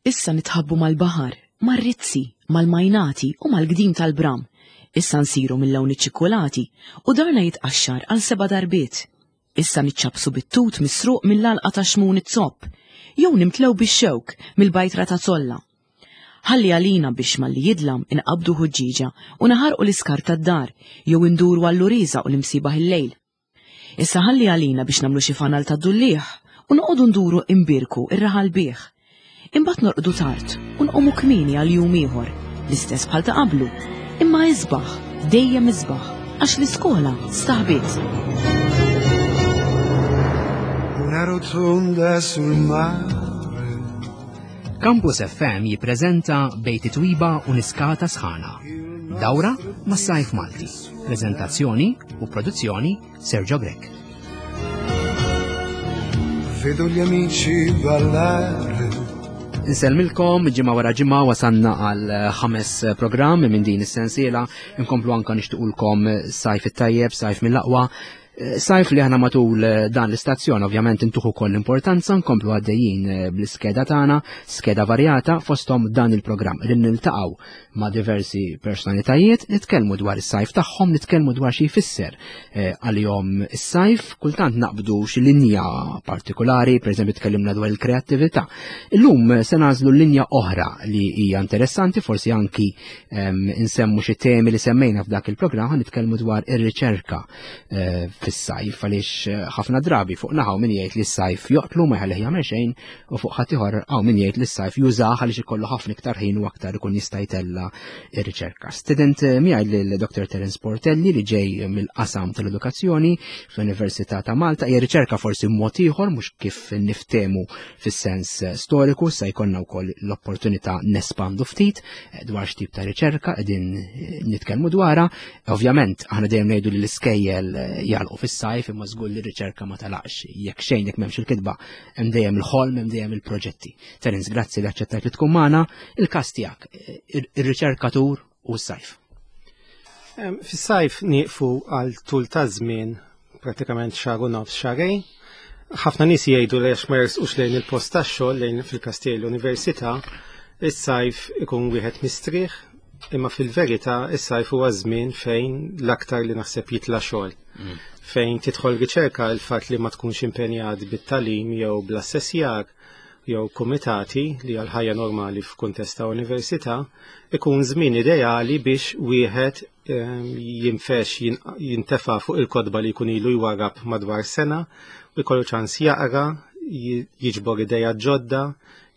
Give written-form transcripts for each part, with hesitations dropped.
Issa nitħabbu mal-baħar, mar-rizzi, mal-majnati u mal-gdim tal-bram. Issa nsiru mill-lawn iċ-ċikkulati u darna jitqaxxar għal seba' darbiet. Issa niċċappsu bit-tut misruq mill-għalqa ta' Xmun iz-Zopp, jew nimtlew bix-xewk mill-bajtra ta' Zolla. Ħalli għalina biex malli jidlam inqabbdu ħuġġieġa u naħarqu l-iskart tad-dar jew induru għall-uriża u l-imsiebaħ il-lejl. Issa ħalli għalina biex nagħmlu xi fanal tad-dulliegħ u noqogħdu nduru imbierku r-raħal bih. Imbagħad norqdu tard u nqumu kmieni għal jum ieħor, l-istess bħal ta' qablu, imma isbaħ, dejjem isbaħ, għax l-iskola staħbiet. Una rotonda sul mare. Campus FM jippreżenta Bejt it-Twiba u Niskata Sħana. Dawra mas-Sajf Malti. Preżentazzjoni u produzzjoni Sergio Grech. Vedo gli amici ballare. Insellmilkom ġimgħa wara ġimgħa wasanna għal ħames programm minn din is-sensiela inkomplu anka nixtiqulkom sajf it-tajjeb, sajf mill-aqwa. Eh, sajf li aħna matul eh, dan l-istazzjon ovvjament intuħu koll importanza nkomplu għaddejjin eh, bl-iskeda tagħna, skeda varjata fosthom dan il-programm li niltaqgħu ma' diversi personalitajiet, nitkellmu dwar is-sajf tagħhom, nitkellmu dwar xi jfisser għalihom is-sajf, kultant naqbdu xi linja partikolari, pereżempju tkellimna dwar il-kreattività. Illum se nagħżlu linja oħra li hija interessanti, forsi anki ehm, insemmu xi temi li semmejna f'dak il-programm, nitkellmu dwar ir-riċerka Eh, fis-sajf għaliex eh, ħafna drabi fuq naħaw min jgħid li s-sajf joqtlu ma jħallih jagħmel xejn u fuq ħadd ieħor hawn min jgħid li s-sajf jużah għaliex ikollu ħafna iktar ħin u aktar ikun jista' jtella r-riċerka. Student eh, miegħi lil Dr. Terence Portelli li ġej mill-qasam tal-edukazzjoni fl-Università ta' Malta hija riċerka forsi mod ieħor mhux kif niftemu fis-sens storiku se jkollna wkoll l-opportunità nespandu ftit dwar x'tip ta' riċerka qegħdin nitkellmu dwarha Ovvjament, aħna dejjem ngħidu li l-iskejjel eh, jagħlqu fis-sajf imma żgur li r-riċerka ma talaqx. Jekk xejn jekk m'hemmx il-kitba, hemm dejjem il-ħolm, hemm dejjem il-proġetti. Terence, grazzi li aċċettajt li tkun magħna. Il-każ tiegħek, eh, ir-riċerkatur u s-sajf. Fis-sajf nieqfu għal tul ta' żmien pratikament xahar u nofs xahrejn. Ħafna nies jgħidu li għax ma jersqux lejn il-post tax-xogħol lejn fil-każ l-università, is-sajf ikun wieħed mistrieħ, imma fil-verità is-sajf huwa żmien fejn l-aktar li naħseb jitla' xogħol. Mm. Fejn tidħol riċerka il-fatt li ma tkunx impenjat bit-talim jew bl-assessjar jew kumitati li għal ħajja normali f'kuntest ta' università ikun żmien ideali biex wieħed ehm, jinfex jintefa' fuq il-kotba li jkun ilu jwarrab madwar sena u jkollu ċans jaqra, jiġbor ideja ġodda,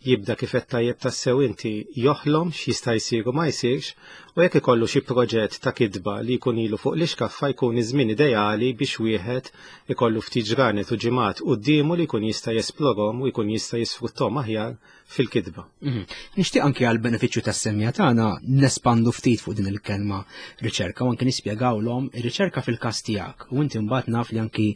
jibda kif qed tajjeb tassew inti joħlom x'jista' jsir u ma jsirx u jekk ikollu xi proġett ta' kitba li jkun ilu fuq l-ixkaffa jkun iż-żmien ideali biex wieħed ikollu ftit ġranet u ġimgħat quddiemu li jkun jista' jesplorhom u jkun jista' jisfrutthom aħjar fil-kitba. Mhm. Nixtieq anke għal benefiċċju tas-semja tagħna nespandu ftit fuq din il-kelma riċerka u anke nispjegawlhom ir-riċerka fil-każ tiegħek u inti mbagħad naf li anki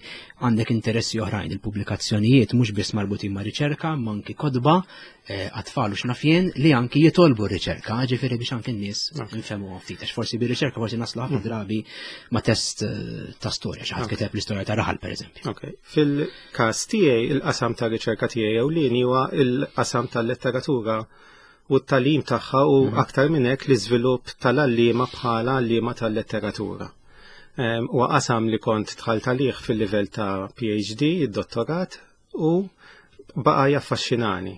għandek interessi oħrajn il-pubblikazzjonijiet mhux biss marbutin ma' riċerka ma anki kotba eh, għat-tfal u x'naf jien li anki jitolbu r-riċerka, ġifieri biex anki n-nies nfehmu ftit għax forsi bir-riċerka forsi naslu ħafna mm. drabi ma' test eh, ta' storja xi ħadd kiteb l-istorja ta' raħal pereżempju. Fil-każ tiegħi il-qasam ta' riċerka tiegħi ewlieni huwa il-qasam tal-letteratura u t-tagħlim tagħha u mhm. aktar minn hekk l-iżvilupp tal-għalliema bħala għalliema tal-letteratura. Huwa qasam li kont dħalt għalih fil-livell ta' PhD, id-dottorat, u baqa' jaffaxxinani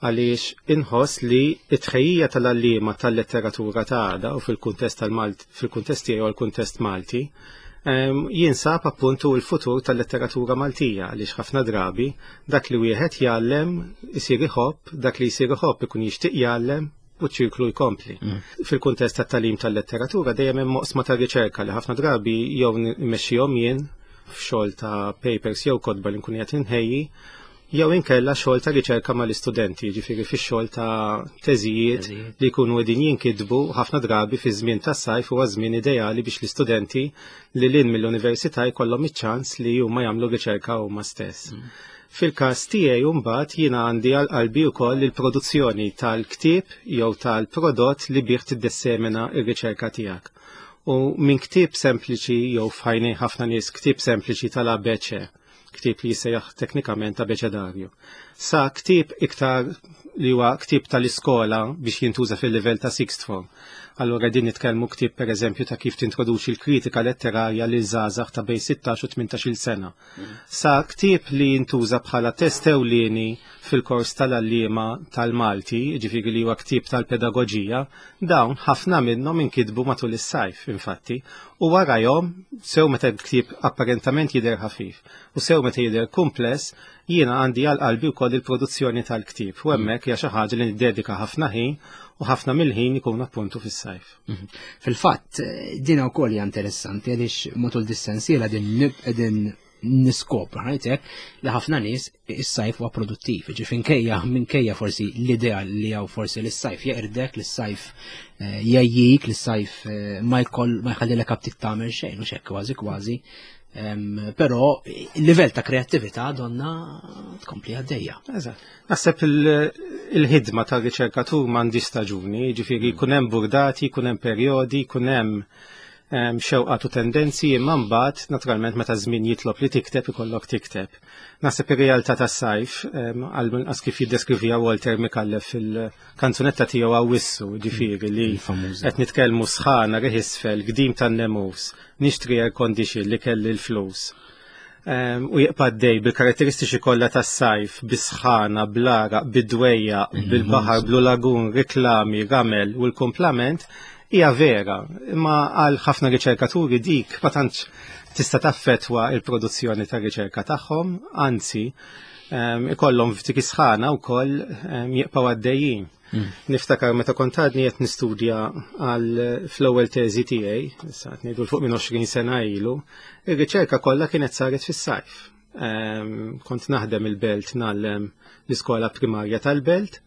għaliex inħoss li t-tħejjija tal-għalliema tal-letteratura ta' għada u fil-kuntest tal-Malt fil-kuntest tiegħu għall-kuntest Malti jinsab appuntu l-futur tal-letteratura Maltija għaliex ħafna drabi dak li wieħed jgħallem isir iħobb, dak li jsir iħobb ikun jixtieq jgħallem u ċ-ċirklu jkompli. Mm. Fil-kuntest tat-tagħlim tal-letteratura dejjem hemm oqsma ta' riċerka li ħafna drabi jew nmexxihom jien f'xogħol ta' papers jew kotba li nkun qed inħejji jew inkella xogħol ta' riċerka mal-istudenti, jiġifieri fix-xogħol ta' teżijiet li jkunu qegħdin jinkitbu ħafna drabi fi żmien tas-sajf huwa żmien ideali biex l-istudenti li lin mill-università jkollhom iċ-ċans li huma jagħmlu riċerka huma stess. Mm. Fil-każ tiegħi mbagħad jiena għandi għal qalbi wkoll il-produzzjoni tal-ktieb jew tal-prodott li bih tiddissemina r-riċerka tiegħek. U minn ktieb sempliċi jew f'ħajnej ħafna nies ktieb sempliċi tal-ABC ktieb li jissejjaħ teknikament abeċedarju. Sa ktieb iktar li huwa ktieb tal-iskola biex jintuża fil-livell ta' sixth form. Allura din nitkellmu ktieb pereżempju ta' kif tintroduċi l-kritika letterarja lil żgħażagħ ta' bejn 16 u 18-il sena. Sa ktieb li jintuża bħala test ewlieni fil-kors tal-għalliema tal-Malti, jiġifieri li huwa ktieb tal-pedagoġija, dawn ħafna minnhom inkitbu matul is-sajf, infatti, u warajhom, sew meta l-ktieb apparentament jidher ħafif u sew meta jidher kumpless, jiena għandi għal qalbi wkoll il-produzzjoni tal-ktieb u hemmhekk hija xi ħaġa li niddedika ħafna ħin u ħafna mill-ħin ikun appuntu fis-sajf. Mhm. Fil-fatt, din wkoll hija interessanti għaliex matul dis-sensiela din qegħdin niskopru ħajtek li ħafna nies is-sajf huwa produttiv, ġifieri minkejja minkejja forsi l-idea li hawn forsi li s-sajf jeqirdek, li s-sajf eh, jgħajjik, li s-sajf eh, ma jkoll ma jħallilek aptit tagħmel xejn u xekk kważi kważi Però il-livell ta' kreattività donna tkompli għaddejja. Eżatt. Naħseb il-ħidma ta' riċerkatur m'għandi staġuni, ġifieri mm. jkun hemm burdati, jkun hemm perjodi, jkun hemm xewqat u tendenzi imma mbagħad naturalment meta żmien jitlob li tikteb ikollok tikteb. Naħseb ir-realtà tas-sajf għal inqas kif jiddeskrivija Walter Micallef fil-kanzunetta tiegħu Awwissu, ġifieri li qed nitkellmu sħana riħ isfel, gdim tan-nemus, nixtri air condition li kelli l-flus. Ehm, u jibqa' dej bil-karatteristiċi kollha tas-sajf, bis-sħana, bl-għaraq, bid-dwejja, bil-baħar, blu lagun, riklami, ramel u l-kumplament, hija vera. Imma għal ħafna riċerkaturi dik ma tantx tista' taffettwa il-produzzjoni ta' riċerka tagħhom, anzi ehm, ikollhom f'dik is-sħana wkoll ehm, jibqgħu għaddejjin. Mm. Niftakar meta kont għadni qed nistudja għal fl-ewwel teżi tiegħi, issa qed ngħidu fuq minn 20 sena ilu, ir-riċerka kollha kienet saret fis-sajf. Ehm, kont naħdem il-belt ngħallem l-iskola primarja tal-belt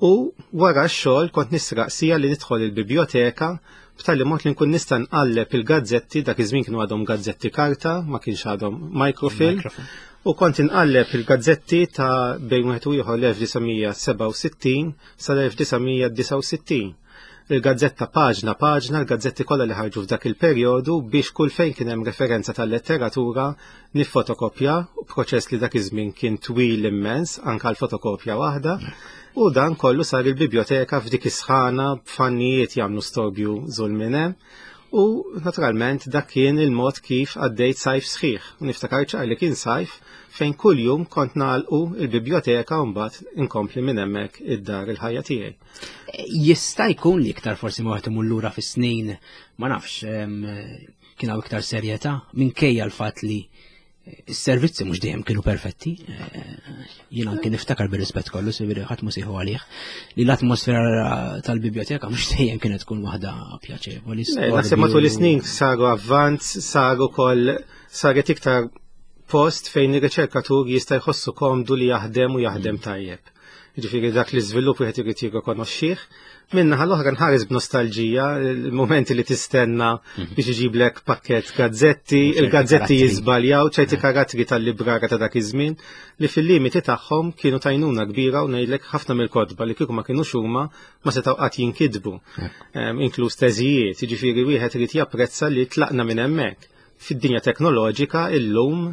u wara x-xogħol kont nisraq sija li nidħol il-biblioteka b'tali mod li nkun nista' nqalleb il-gazzetti dak iż-żmien kienu għadhom gazzetti karta, ma kienx għadhom microfilm. U kont inqalleb il-gazzetti ta' bejn wieħed u ieħor l-1967 sal-1969. Il-gazzetta paġna paġna, l-gazzetti kollha li ħarġu f'dak il-perjodu biex kull fejn kien hemm referenza tal-letteratura niffotokopja, proċess li dak iż-żmien kien twil immens anke għal fotokopja waħda. U dan kollu sar il-biblioteka f'dik is-sħana b'fannijiet jagħmlu storbju żul minn hemm. U naturalment dak kien il-mod kif għaddejt sajf sħiħ. U niftakar ċar li kien sajf fejn kuljum kont nagħlqu il-biblioteka u mbagħad inkompli minn hemmhekk id-dar il-ħajja tiegħi. Jista' jkun li iktar forsi ma wieħed imur lura fis-snin, ma nafx, kien hawn iktar serjetà minkejja l-fatt li Is-servizzi mhux dejjem kienu perfetti. Eh, jien anke niftakar bir-rispett kollu, siviri ħadd mhu sieħu għalih, li l-atmosfera tal-biblioteka mhux dejjem kienet tkun waħda pjaċevoli. Naħseb matul is-snin saru avvanz, saru koll saret iktar post fejn ir-riċerkatur jista' jħossu komdu li jaħdem u jaħdem mm. tajjeb. Ġifieri dak li żvilupp wieħed irid jirrikonoxxih. Minna l-oħra nħares b'nostalġija il-momenti li tistenna mhm. biex iġiblek pakket gazzetti, il-gazzetti jiżbaljaw ċerti mhm. karattri tal-librara ta' dak iż-żmien li fil-limiti tagħhom kienu tajnuna kbira u ngħidlek ħafna mill-kotba li kieku ma kinux huma ma setgħu qatt jinkitbu. Inkluż teżijiet, jiġifieri wieħed irid japprezza li tlaqna minn hemmhekk. Fid-dinja teknoloġika illum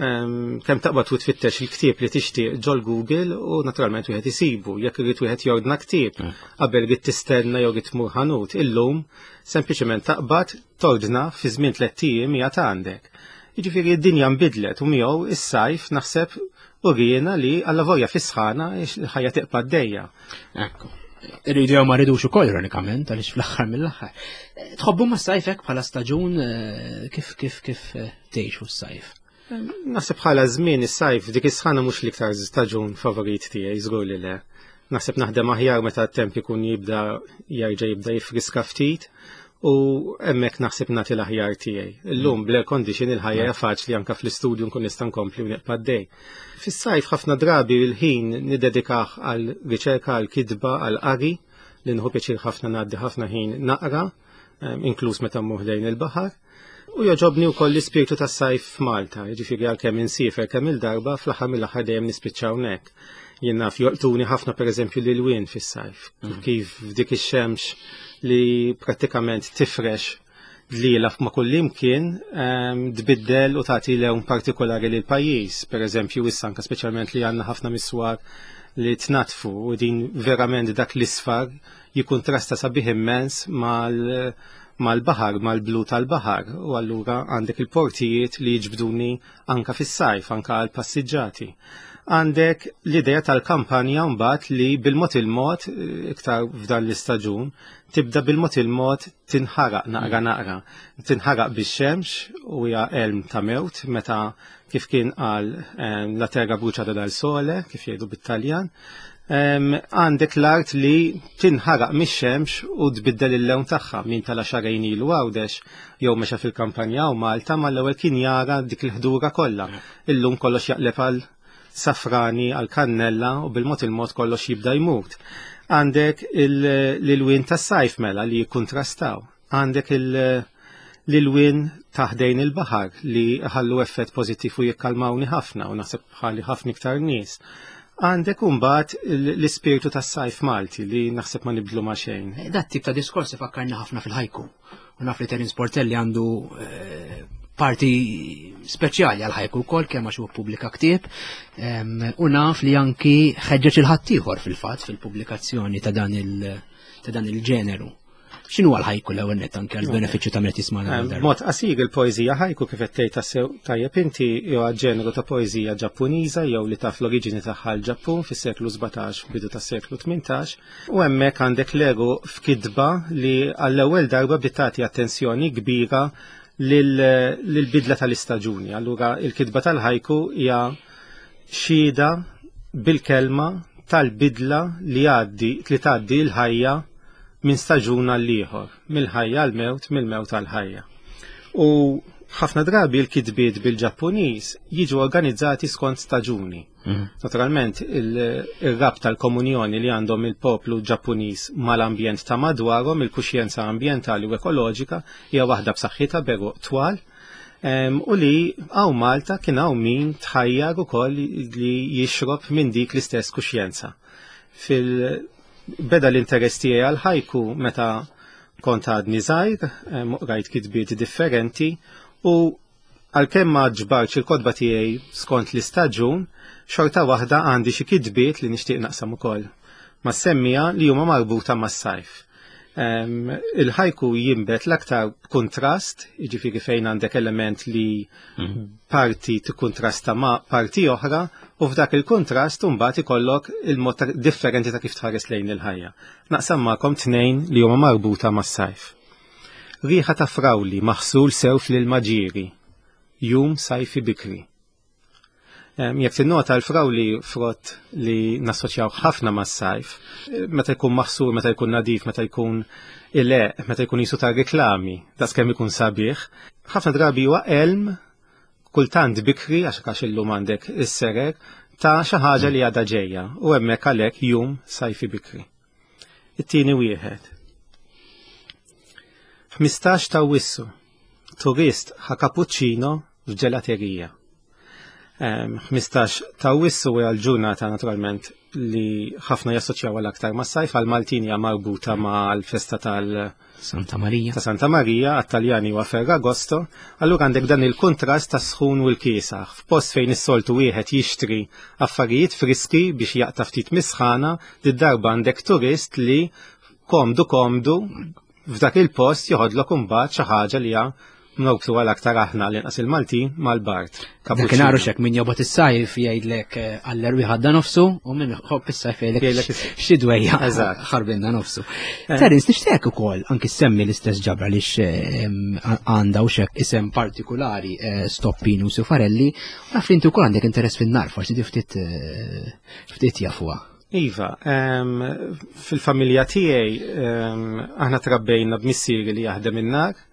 kemm taqbad u tfittex il-ktieb li tixtieq ġol Google u naturalment wieħed isibu. Jekk irid wieħed jordna ktieb mm. qabel irid tistenna jew irid tmur ħanut, illum sempliċement taqbad tordna fi żmien tliet ijiem hija għandek. Jiġifieri d-dinja nbidlet u miegħu is-sajf naħseb u riena li alla volja fis-sħana il-ħajja tiqpa' d-dejja. Ekku. Irridu jew ma rridux ukoll ironikament għaliex fl-aħħar mill-aħħar. Tħobbu ma sajfek bħala staġun eh, kif kif kif eh, tgħixu s-sajf? Naħseb bħala żmien is-sajf dik is-sħana mhux l-iktar staġun favorit tiegħi żgur li le. Naħseb naħdem aħjar meta t-temp ikun jibda jerġa' jibda jifriska ftit u hemmhekk naħseb nagħti l-aħjar tiegħi. Illum bl-air condition il-ħajja hija faċli anke fl-istudju nkun nista' nkompli u neqpa' dej. Fis-sajf ħafna drabi l-ħin niddedikah għal riċerka, għal kitba, għal qari li nħu pjaċir ħafna ngħaddi ħafna ħin naqra, inkluż meta mmur lejn il-baħar. U joġobni wkoll l-ispirtu tas-sajf f'Malta, jiġifieri għalkemm insiefer kemm il-darba fl-aħħar mill-aħħar dejjem nispiċċa hawnhekk. Jien naf jolqtuni ħafna pereżempju l-ilwien fis-sajf, mm. kif f'dik ix-xemx li prattikament tifrex Dliela ma' kullimkien tbiddel u tagħti lewn partikolari lil pajjiż. Per eżempju, issa anke speċjalment li għandna ħafna miswar li tnatfu u din verament dak l-isfar jikuntrasta sabiħ immens mal mal-baħar, mal-blu tal-baħar, u allura għandek il-portijiet li jiġbduni anka fis-sajf, anka għal passiġġati. Għandek l-idea tal-kampanja mbagħad li bil-mod il-mod, iktar f'dan l-istaġun, tibda bil-mod il-mod tinħaraq naqra naqra. Tinħaraq bix-xemx u hija elm ta' mewt meta kif kien qal la terra bruciata dal sole, kif jgħidu bit-Taljan. Għandek l-art li tinħaraq mix-xemx u tbiddel il-lewn tagħha min tala xarejn ilu Għawdex jew mexa fil-kampanja u Malta mal-ewwel kien jara dik il-ħdura kollha. Illum kollox jaqleb għal safrani għal kannella u bil-mod il-mod kollox jibda jmut. Għandek l-ilwien tas-sajf mela li jikkuntrastaw. Għandek l-ilwien taħdejn il-baħar li ħallu effett pożittiv u jikkalmawni ħafna u naħseb bħali ħafna iktar nies. Għandek imbagħad l-ispirtu tas-sajf Malti li naħseb ma nibdlu ma' xejn. Dat tip ta' diskors ifakkarni ħafna fil-ħajku. U naf li Terence Portelli għandu eh, parti speċjali għal ħajku wkoll kemm għax huwa ppubblika ktieb u naf li anki ħeġġeġ il-ħaddieħor fil-fatt fil-pubblikazzjoni ta' dan il- ta' dan il-ġeneru. X'inhu għal ħajku l-ewwel nett anke għal benefiċċju ta' min qed jisma' Mod qasir il-poeżija ħajku kif qed tgħid tassew tajjeb inti jew ġeneru ta' poeżija Ġappuniża jew li taf l-oriġini tagħha l-Ġappun fis-seklu 17 bidu tas-seklu 18 U hemmhekk għandek l-ego f'kitba li għall-ewwel darba bdiet tagħti attenzjoni kbira lill-bidla tal-istaġuni. Allura il-kitba tal-ħajku hija xhieda bil-kelma tal-bidla li għaddi li tgħaddi l-ħajja minn staġun għal ieħor, mill-ħajja għal mewt, mill-mewt għal ħajja. U ħafna drabi l-kitbiet bil-Ġappuniż jiġu organizzati skont staġuni. Naturalment, il-rabta tal-komunjoni li għandhom il-poplu Ġappuniż mal-ambjent ta' madwarhom, il-kuxjenza ambjentali u ekoloġika hija waħda b'saħħitha beruq twal. U li hawn Malta kien hawn min tħajjar ukoll li jixrob minn dik l-istess kuxjenza. Fil-beda l-interess tiegħi għal ħajku meta kont għadni żgħir, rajt kitbiet differenti u Għalkemm ma ġbartx il-kotba tiegħi skont l-istaġun, xorta waħda għandi xi kitbiet li nixtieq naqsam ukoll mas-semmiegħa li huma marbuta mas-sajf. Il-ħajku jinbet l-aktar b'kuntrast, jiġifieri fejn għandek element li mhm. parti tikkuntrasta ma' parti oħra u f'dak il-kuntrast mbagħad ikollok il-mod differenti ta' kif tħares lejn il-ħajja. Naqsam magħkom tnejn li huma marbuta mas-sajf. Riħa ta' frawli maħsul sew fl-ilma ġieri. Jum sajfi bikri. Jekk tinnota l-frawli frott li nassoċjaw ħafna mas-sajf, meta jkun maħsul, meta jkun nadif, meta jkun ileq, meta jkun jisu ta' riklami, daqskemm ikun sabiħ, ħafna drabi huwa elm kultant bikri għax għax illum għandek is-serer ta' xi ħaġa li għadha ġejja u hemmhekk għalhekk jum sajfi bikri. It-tieni wieħed. 15 ta' Awwissu, turist ħa cappuccino f'ġelaterija. 15 ta' Awwissu hija l-ġurnata naturalment li ħafna jassoċjaw għal aktar mas-sajf għal Maltin hija marbuta mal-festa tal- Santa Marija. Ta' Santa Marija, għat-Taljani huwa Ferragosto, allura għandek dan il-kuntrast ta' sħun u l-kiesaħ. F'post fejn is-soltu wieħed jixtri affarijiet friski biex jaqta' ftit misħana, did-darba għandek turist li komdu komdu f'dak il-post joħodlok imbagħad xi ħaġa li hija Norbtu għal aktar aħna l-inqas il-Maltin mal-Bart. Dakinhar xek min jobgħod is-sajf jgħidlek eh, għall-erwi ħadda nofsu u min ħobb is-sajf jgħidlek xi dwejja ħarbinna nofsu. Eh. Terence nixtieq ukoll anki semmi l-istess ġabra li eh, għandha u xek isem partikolari Stoppinu Sufarelli, naf li inti wkoll għandek interess fin-nar forsi di ftit ftit jafuha. Iva, fil-familja tiegħi aħna trabbejna b'missieri li jaħdem in-nar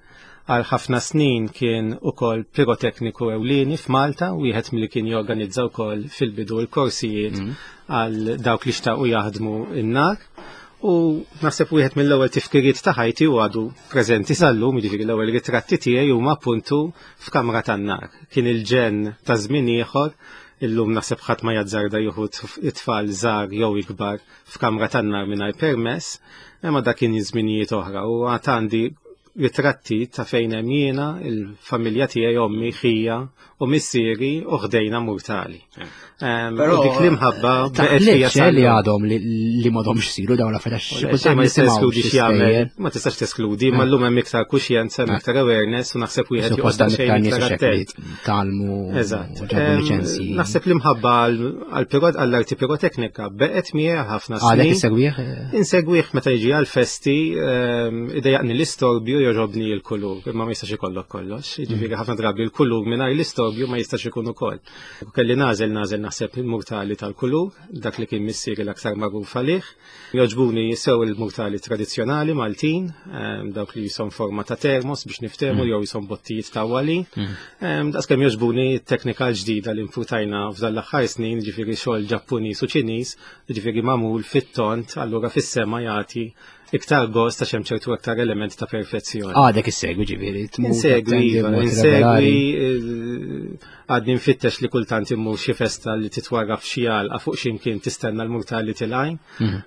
Għal ħafna snin kien ukoll pirotekniku ewlieni f'Malta, wieħed milli kien jorganizza wkoll fil-bidu l-korsijiet mm. għal dawk li xtaqu jaħdmu n-nar. U naħseb wieħed mill-ewwel tifkiriet ta' ħajti u għadu preżenti sal-lum, jiġifieri l-ewwel ritratti tiegħi huma appuntu f'kamra tan-nar. Kien il-ġenn ta' żmien ieħor, illum naħseb ħadd ma jazzarda jieħu it-tfal żgħar jew ikbar f'kamra tan-nar mingħajr permess, imma dak kien żminijiet oħra u għad għandi ritratti ta' fejn hemm jiena, il-familja tiegħi ommi, ħija u missieri u ħdejna murtali. Però dik l-imħabba baqgħet fija li għadhom li m'għadhomx isiru dawn l-affarijiet ma tistax teskludi x'jagħmel, ma tistax teskludi, ma llum hemm iktar kuxjenza, hemm iktar awareness u naħseb wieħed joqgħod xejn iktar attent. Talmu. Eżatt. Naħseb l-imħabba għall-arti piroteknika beqgħet miegħi ħafna snin. Għadek insegwih? Insegwih meta jiġi għall-festi, idejjaqni l-istorbju jogħġobni l-kulur, imma ma jistax ikollok kollox. Jiġifieri ħafna drabi l-kulur mingħajr l-istorbju ma jistax ikun ukoll. U kelli nagħżel nagħżel naħseb il-murtali tal-kulur, dak li kien missieri l-aktar magħruf għalih. Jogħġbuni sew il-murtali tradizzjonali Maltin, dawk li jisom forma ta' termos biex niftehmu jew jisom bottijiet ta' wali. Daqskemm jogħġbuni t-teknika l-ġdida li nfutajna f'dan l-aħħar snin, ġifieri xogħol Ġappuniż u Ċiniż, ġifieri magħmul fit-tont, allura fis-sema jagħti iktar gost għax hemm ċertu aktar element ta' perfezzjoni. Għadek issegwi ġifieri, tmur. Insegwi, iva, insegwi, għadni nfittex li kultant immur xi festa li titwarraf xi għalqa fuq xi mkien tistenna l-murtali tilgħin.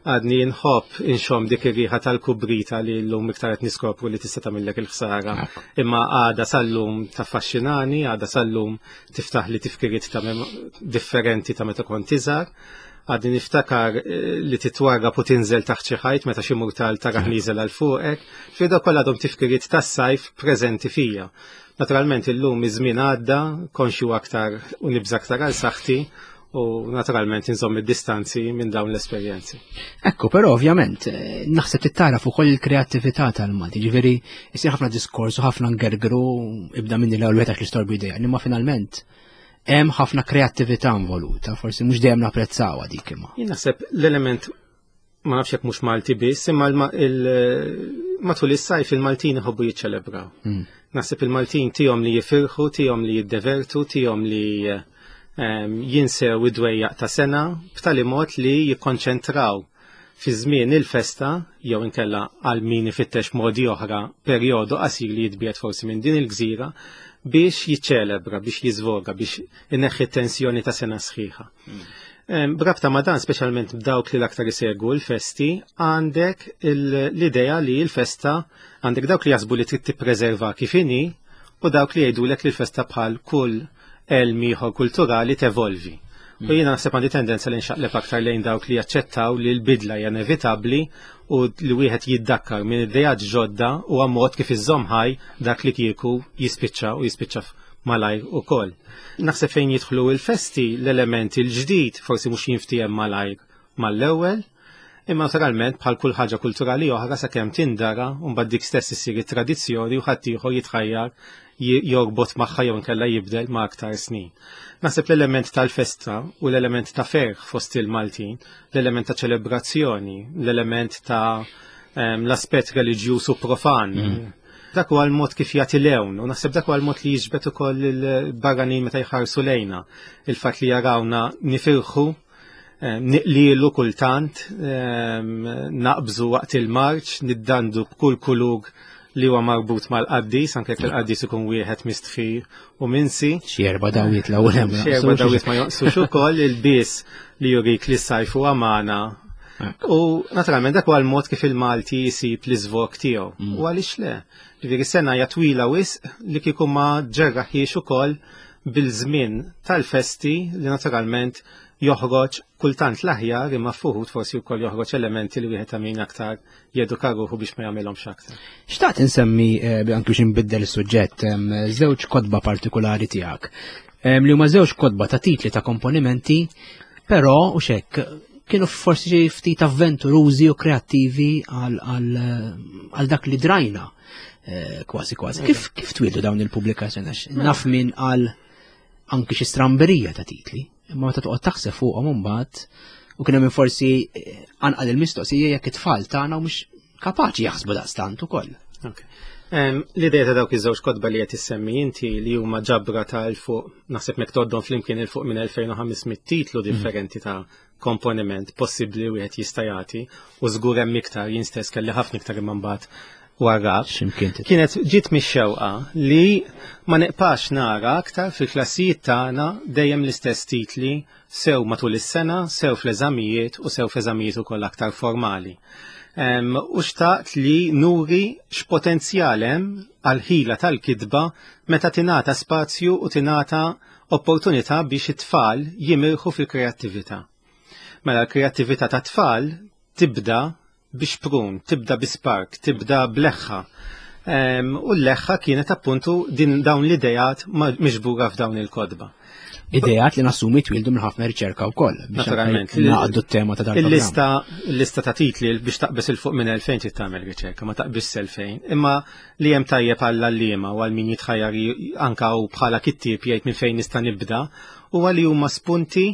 Għadni nħobb inxomm dik ir-riħa tal-kubrita li llum iktar qed niskopru li tista' tagħmillek il-ħsara. Imma għada sal-lum taffaxxinani, għada sal-lum tiftaħ li tifkiriet ta' differenti ta' meta kont iżgħar. Għadni niftakar eh, li titwarrab u tinżel taħt xi ħajt meta xi murtal taraħ nieżel għal fuqek. Fi dak kollha għadhom tifkiriet tas-sajf preżenti fija. Naturalment illum iż-żmien għadda, konxju aktar u nibża aktar għal saħħti u naturalment inżomm id-distanzi minn dawn l-esperjenzi. Ekku, però ovvjament, eh, naħseb tittaraf ukoll il-kreattività tal-Malti, ġifieri jsir ħafna diskors u ħafna ngergru ibda minni l-ewwel wieħed għax l-istorbi idea, imma finalment hemm ħafna kreattività involuta, forsi mhux dejjem napprezzawha dik imma. Jien naħseb l-element ma nafx jekk mhux Malti biss, imma matul is-sajf il-Maltin iħobbu jiċċelebraw. Naħseb il-Maltin tihom li jifirħu, tihom li jiddevertu, tihom li jinsew id-dwejjaq ta' sena b'tali mod li jikkonċentraw fi żmien il-festa jew inkella għal min ifittex modi oħra perjodu qasir li jitbiegħed forsi minn din il-gżira biex jiċċelebra, biex jiżvoga, biex ineħħi t-tensjoni ta' sena sħiħa. B'rabta ma' dan, speċjalment b'dawk li l-aktar isegwu l-festi, għandek l-idea li l-festa għandek dawk li jaħsbu li trid tippreserva kif inhi u dawk li jgħidulek li l-festa bħal kull elm ieħor kulturali tevolvi. U jiena naħseb għandi tendenza li nxaqleb aktar lejn dawk li jaċċettaw li l-bidla hija inevitabbli u li wieħed jiddakkar minn idejat ġodda u mod kif iżomm ħaj dak li kieku jispiċċa u jispiċċa malajr ukoll. Naħseb fejn jidħlu l-festi l-element il-ġdid forsi mhux jinftiehem malajr mal-ewwel, imma naturalment bħal kull ħaġa kulturali oħra sakemm tindara u mbagħad dik stess issir it-tradizzjoni u ħaddieħor jitħajjar jorbot magħha jew inkella jibdel ma' aktar snin. Naħseb l-element tal-festa u l-element ta' ferħ fost il-Maltin, l-element ta' ċelebrazzjoni, l-element ta' l-aspett reliġjuż u profan. Dak huwa l-mod kif jagħti lewn u naħseb dak huwa l-mod li jiġbed ukoll il-barranin meta jħarsu lejna. Il-fatt li jarawna nifirħu niqlilu kultant, naqbżu waqt il-marċ, niddandu b'kull kulur li huwa marbut mal-qaddis, anke jekk il-qaddis ikun wieħed mistħi u minsi. Xi erba' dawiet l-ewwel hemm. Xi erba' dawiet ma jonqsux ukoll il-bies li jurik li s-sajf huwa magħna. U naturalment dak huwa l-mod kif il-Malti jsib l-iżvog tiegħu. U għaliex le? Ġifieri sena hija twila wisq li kieku ma ġerraħiex ukoll bil-żmien tal-festi li naturalment joħroġ kultant l-aħjar imma fuħut forsi wkoll joħroġ elementi li wieħed ta' min aktar jeduka ruħu biex ma jagħmilhomx aktar. Xtaqt insemmi eh, anki biex inbiddel is-suġġett żewġ kotba partikulari tiegħek. Li huma żewġ kotba ta' titli ta' komponimenti, però u xekk kienu forsi ftit avventurużi u kreattivi għal dak li drajna eh, kważi kważi. Kif kif twieldu dawn il-pubblikazzjoni? Għax naf min għal anki xi stramberija ta' titli, imma meta toqgħod taħseb fuqhom imbagħad u kien hemm forsi eh, anqal il-mistoqsija jekk it-tfal tagħna u mhux kapaċi jaħsbu daqstant ukoll. L-idea ta' dawk iż-żewġ kotba li qed issemmi inti li huma ġabra ta' 'l fuq naħseb mek toddhom flimkien 'il fuq minn 2500 titlu differenti ta' komponiment possibbli wieħed jista' jagħti u żgur hemm iktar jien stess kelli ħafna iktar imma mbagħad warrab. Kienet ġiet mix-xewqa li ma neqpax nara aktar fil-klassijiet tagħna dejjem l-istess titli sew matul is-sena, sew fl-eżamijiet u sew f'eżamijiet ukoll aktar formali. U xtaqt li nuri x'potenzjal hemm għal-ħila tal-kitba meta tingħata spazju u tingħata opportunità biex it-tfal jimirħu fil-kreattività. Mela l-kreattività ta' tfal tibda bi xprun, tibda bi spark, tibda b'leħħa. U l-leħħa kienet appuntu din dawn l-idejat miġbura f'dawn il-kodba. Idejat li nassumi twildu minn ħafna riċerka wkoll. Naturalment. Naqdu t-tema ta' dan. Il-lista il-lista ta' titli biex taqbes il fuq minn 2000 trid tagħmel riċerka, ma taqbis 2000. Imma li hemm tajjeb għall għalliema u għal min jitħajjar anka u bħala kittieb jgħid minn fejn nista' nibda huwa li huma spunti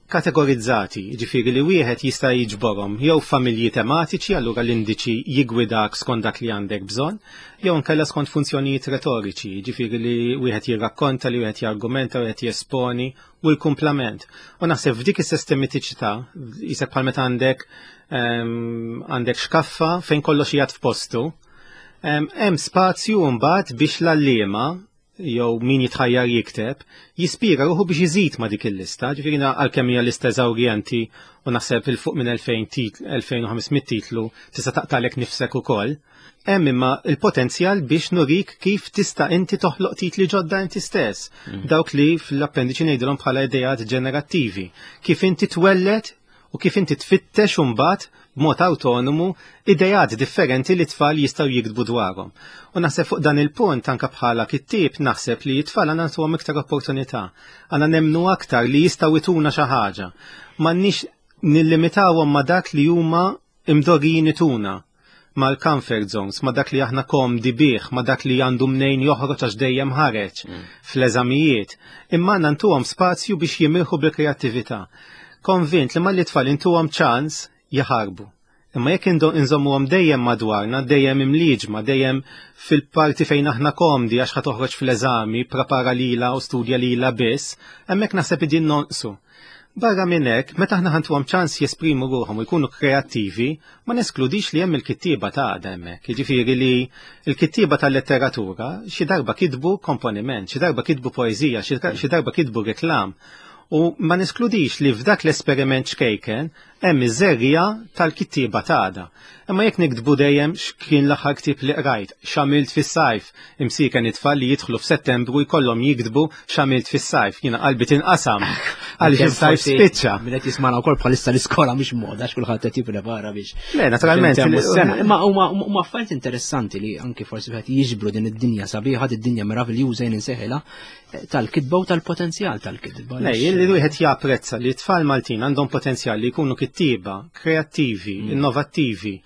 kategorizzati, ġifieri li wieħed jista' jiġborhom jew familji tematiċi, allura l-indiċi jigwidak skont dak li għandek bżonn, jew inkella skont funzjonijiet retoriċi, ġifieri li wieħed jirrakkonta, li wieħed jargumenta, wieħed jesponi u l-kumplament. U naħseb f'dik is-sistematiċità, jisek bħal meta għandek għandek xkaffa fejn kollox jgħad f'postu, hemm spazju mbagħad biex l-għalliema jew min jitħajjar jikteb, jispira ruħu biex iżid ma' dik il-lista, ġifieri għalkemm hija lista eżawrjenti u naħseb il fuq minn 2500 titlu tista' taqtalek nifsek ukoll. Hemm imma il-potenzjal biex nurik kif tista' inti toħloq titli ġodda inti stess. Dawk li fl-appendiċi ngħidilhom bħala ideat ġenerattivi. Kif inti twelled u kif inti tfittex imbagħad b'mod awtonomu ideat differenti li tfal jistgħu jiktbu dwarhom. U naħseb fuq dan il-punt anke bħala kittieb naħseb li t-tfal għandna nagħtuhom iktar opportunità. Għandna nemmnu aktar li jistgħu jtuna xi ħaġa. M'għandniex nillimitawhom ma' dak li huma imdorrijin ituna mal-comfort zones, ma dak li aħna komdi bih, ma dak li għandu mnejn joħroġ għax dejjem ħareġ fl-eżamijiet. Imma għandna ntuhom spazju biex jimirħu bil-kreattività. Konvint li malli tfal intuhom ċans jaħarbu. Imma jekk inżommuhom dejjem madwarna, dejjem imliġma, dejjem fil-parti fejn aħna komdi għax ħa toħroġ fl-eżami, prepara lila u studja lila biss, hemmhekk naħseb idin nonqsu. Barra minn hekk, meta aħna ħantuhom ċans jesprimu ruħhom u jkunu kreattivi, ma neskludix li hemm il-kittieba ta' għada hemmhekk. Jiġifieri li l-kittieba tal-letteratura xi darba kitbu komponiment, xi darba kitbu poeżija, xi darba kitbu reklam. U ma neskludix li f'dak l-esperiment ċkejken hemm iż-żerriegħa tal-kittieba ta' għada. Imma jekk niktbu dejjem x'kien l-aħħar ktieb li qrajt, x'għamilt fis-sajf, imsieken it-tfal li jidħlu f'Settembru jkollhom jiktbu x'għamilt fis-sajf, jiena qalbi tinqasam għaliex is-sajf spiċċa. Min qed jismana wkoll bħalissa l-iskola mhix moda għax kulħadd qed jipprepara biex. Le, naturalment. Imma huma affarijiet interessanti li anki forsi wieħed jiġbru din id-dinja sabiħa, din id-dinja meraviljuża jien inseħilha tal-kitba u tal-potenzjal tal-kitba. Le, li wieħed japprezza li t-tfal Maltin għandhom potenzjal li jkunu kittieba, kreattivi, innovattivi,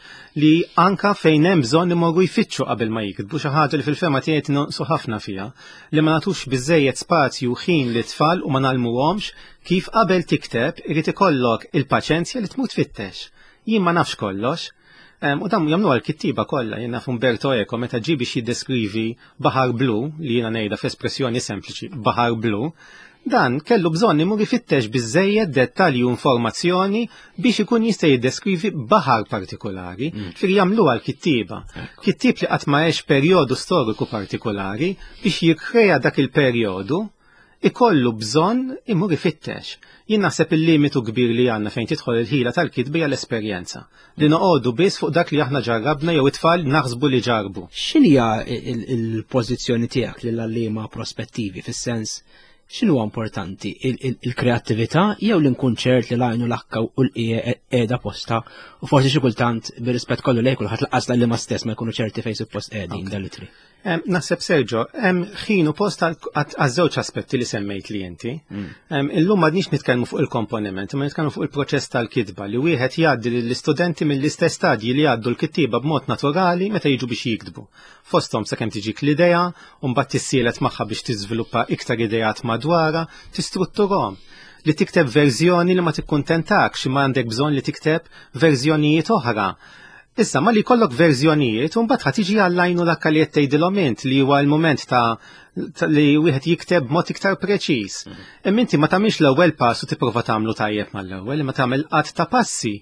li anka fejn hemm bżonn imorru jfittxu qabel ma jiktbu xi ħaġa li fil-fema tiegħi nonqsu ħafna fiha, li ma nagħtux biżejjed spazju u ħin li tfal u ma nagħlmuhomx kif qabel tikteb irid ikollok il-paċenzja li tmur tfittex. Jien ma nafx kollox. U dan jagħmluha l-kittieba kollha, jien naf Umberto Eco meta ġie biex jiddeskrivi baħar blu, li jiena ngħidha f'espressjoni sempliċi, baħar blu, dan kellu bżonn imur ifittex biżejjed dettalji u informazzjoni biex ikun jista' jiddeskrivi baħar partikolari. Ġifieri jagħmluha l-kittieba. Kittieb li qatt ma għex perjodu storiku partikolari biex jikkrea dak il-perjodu ikollu bżonn imur ifittex. Jien naħseb il-limitu kbir li għandna fejn tidħol il-ħila tal-kitba hija l-esperjenza. Li noqogħdu biss fuq dak li aħna ġarrabna jew it-tfal naħsbu li ġarbu. X'inhija il-pożizzjoni tiegħek lil għalliema prospettivi fis-sens x'inhu importanti il-kreattività jew li nkun ċert li l-għajnu l-akka u l-qie qiegħda posta u forsi xi kultant bir-rispett kollu lejn kulħadd laqas l-għalliema stess ma jkunu ċerti fejn suppost qegħdin dal-itri. Naħseb Sergio, hemm ħin u post għaż-żewġ aspetti li semmejt li inti. Illum m'għadniex nitkellmu fuq il-komponiment, imma nitkellmu fuq il-proċess tal-kitba li wieħed jgħaddi lill-istudenti mill-istess stadji li jgħaddu l-kittieba b'mod naturali meta jiġu biex jiktbu. Fosthom sakemm tiġik l-idea, u mbagħad tissielet magħha biex tiżviluppa iktar ideat madwarha, tistrutturhom. Li tikteb verżjoni li ma tikkuntentakx, imma għandek bżonn li tikteb verżjonijiet oħra. Issa, malli jkollok verżjonijiet, u mbagħad ħa tiġi għall-għajn u l-akka li qed tgħidilhom int li huwa l-mument ta' li wieħed jikteb b'mod iktar preċiż. Imma inti ma tagħmilx l-ewwel pass u tipprova tagħmlu tajjeb mal-ewwel, imma tagħmel qatt ta' passi.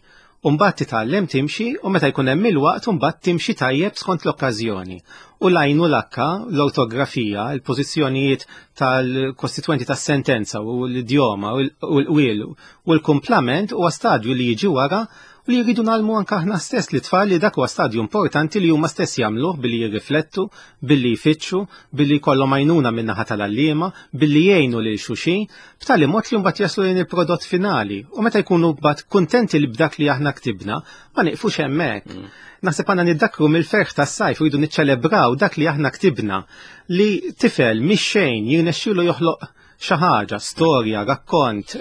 U mbagħad titgħallem timxi u meta jkun hemm il-waqt u mbagħad timxi tajjeb skont l-okkażjoni. U l-għajn u l-akka, l-ortografija, il-pożizzjonijiet tal-kostitwenti tas-sentenza u l-idjoma u l-qwiel u l-kumplament huwa stadju li jiġi wara. u li jridu nagħlmu anke aħna stess li tfal li dak huwa stadju importanti li huma stess jagħmluh billi jirriflettu, billi jfittxu, billi jkollhom għajnuna min-naħa tal-għalliema, billi jgħinu lil xulxin, b'tali mod li mbagħad jaslu lejn il-prodott finali. U meta jkunu mbagħad kuntenti li b'dak li aħna ktibna, ma nieqfux hemmhekk. Naħseb għandna niddakru mill-ferħ tas-sajf u jridu niċċelebraw dak li aħna ktibna li tifel mix xejn jirnexxielu joħloq xi ħaġa, storja, rakkont,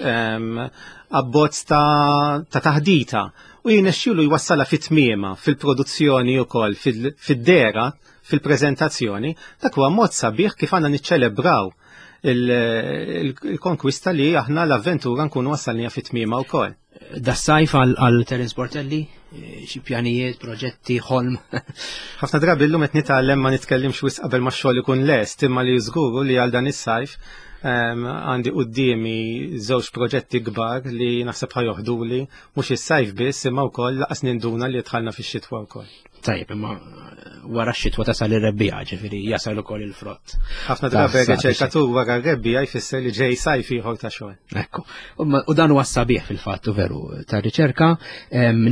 abbozz ta' taħdita u jirnexxielu jwassalha fit-tmiema, fil-produzzjoni wkoll, fid-dehra, fil-preżentazzjoni, dak huwa mod sabiħ kif għandna niċċelebraw il-konkwista li aħna l-avventura nkunu wassalnija fit-tmiema wkoll. Das-sajf għal Terence Portelli, xi pjanijiet, proġetti, ħolm. Ħafna drabi llum qed nitgħallem ma nitkellimx wisq qabel ma x-xogħol ikun lest, imma li żguru li għal dan is-sajf għandi quddiemi żewġ proġetti kbar li naħseb ħajoħduli mhux is-sajf biss imma wkoll laqas ninduna li dħalna fix-xitwa wkoll. Tajjeb, imma wara x-xitwa tasal ir-rebbija, ġifieri jasal ukoll il-frott. Ħafna drabi riċerkatur wara r-rebbija jfisser li ġej sajf ieħor ta' xogħol. Ekku. U dan huwa sabiħ fil-fatt veru ta' riċerka.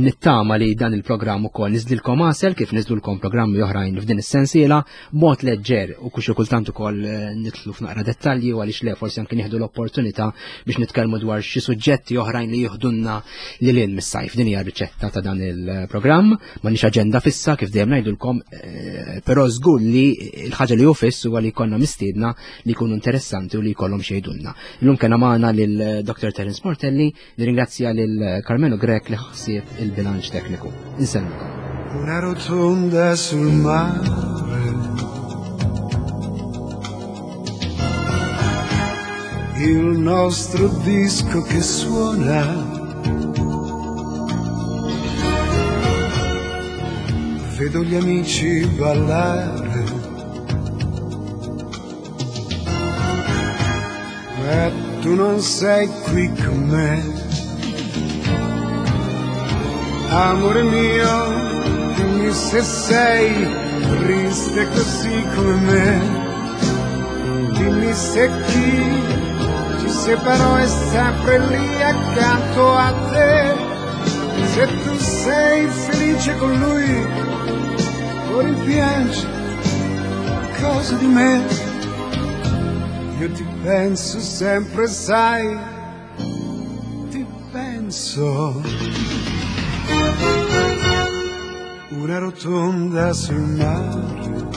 Nittama li dan il-programm ukoll niżdilkom għasel kif niżdulkom programmi oħrajn f'din is-sensiela b'mod leġġer u kuxi kultant ukoll eh, nitlu f'naqra dettalji u għaliex le forsi anke nieħdu l-opportunità biex nitkellmu dwar xi suġġetti oħrajn li jieħdunna lil hinn mis-sajf. Din hija riċetta ta' dan il-programm. M'għandniex aġenda fissa kif dejjem ngħidulkom, eh, però żgur li l-ħaġa li hu fiss huwa li jkollna mistiedna li jkunu interessanti u li jkollhom xi jgħidulna. Illum kena magħna lil eh, Dr. Terence Portelli, nirringrazzja lil Carmelo Grech li ħsieb il-bilanċ tekniku. Insellmilkom. Una rotonda sul mare Il nostro disco che suona Vedo gli amici ballare Ma tu non sei qui con me Amore mio, dimmi se sei triste così come me. Dimmi se chi ci separò è sempre lì accanto a te. Se tu sei felice con lui o rimpiangi qualcosa di me. Io ti penso sempre, sai, ti penso. Una rotonda sul mare.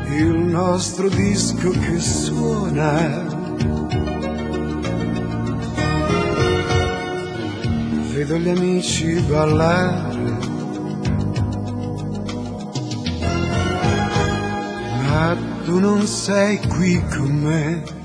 Il nostro disco che suona. Vedo gli amici ballare. Ma tu non sei qui con me.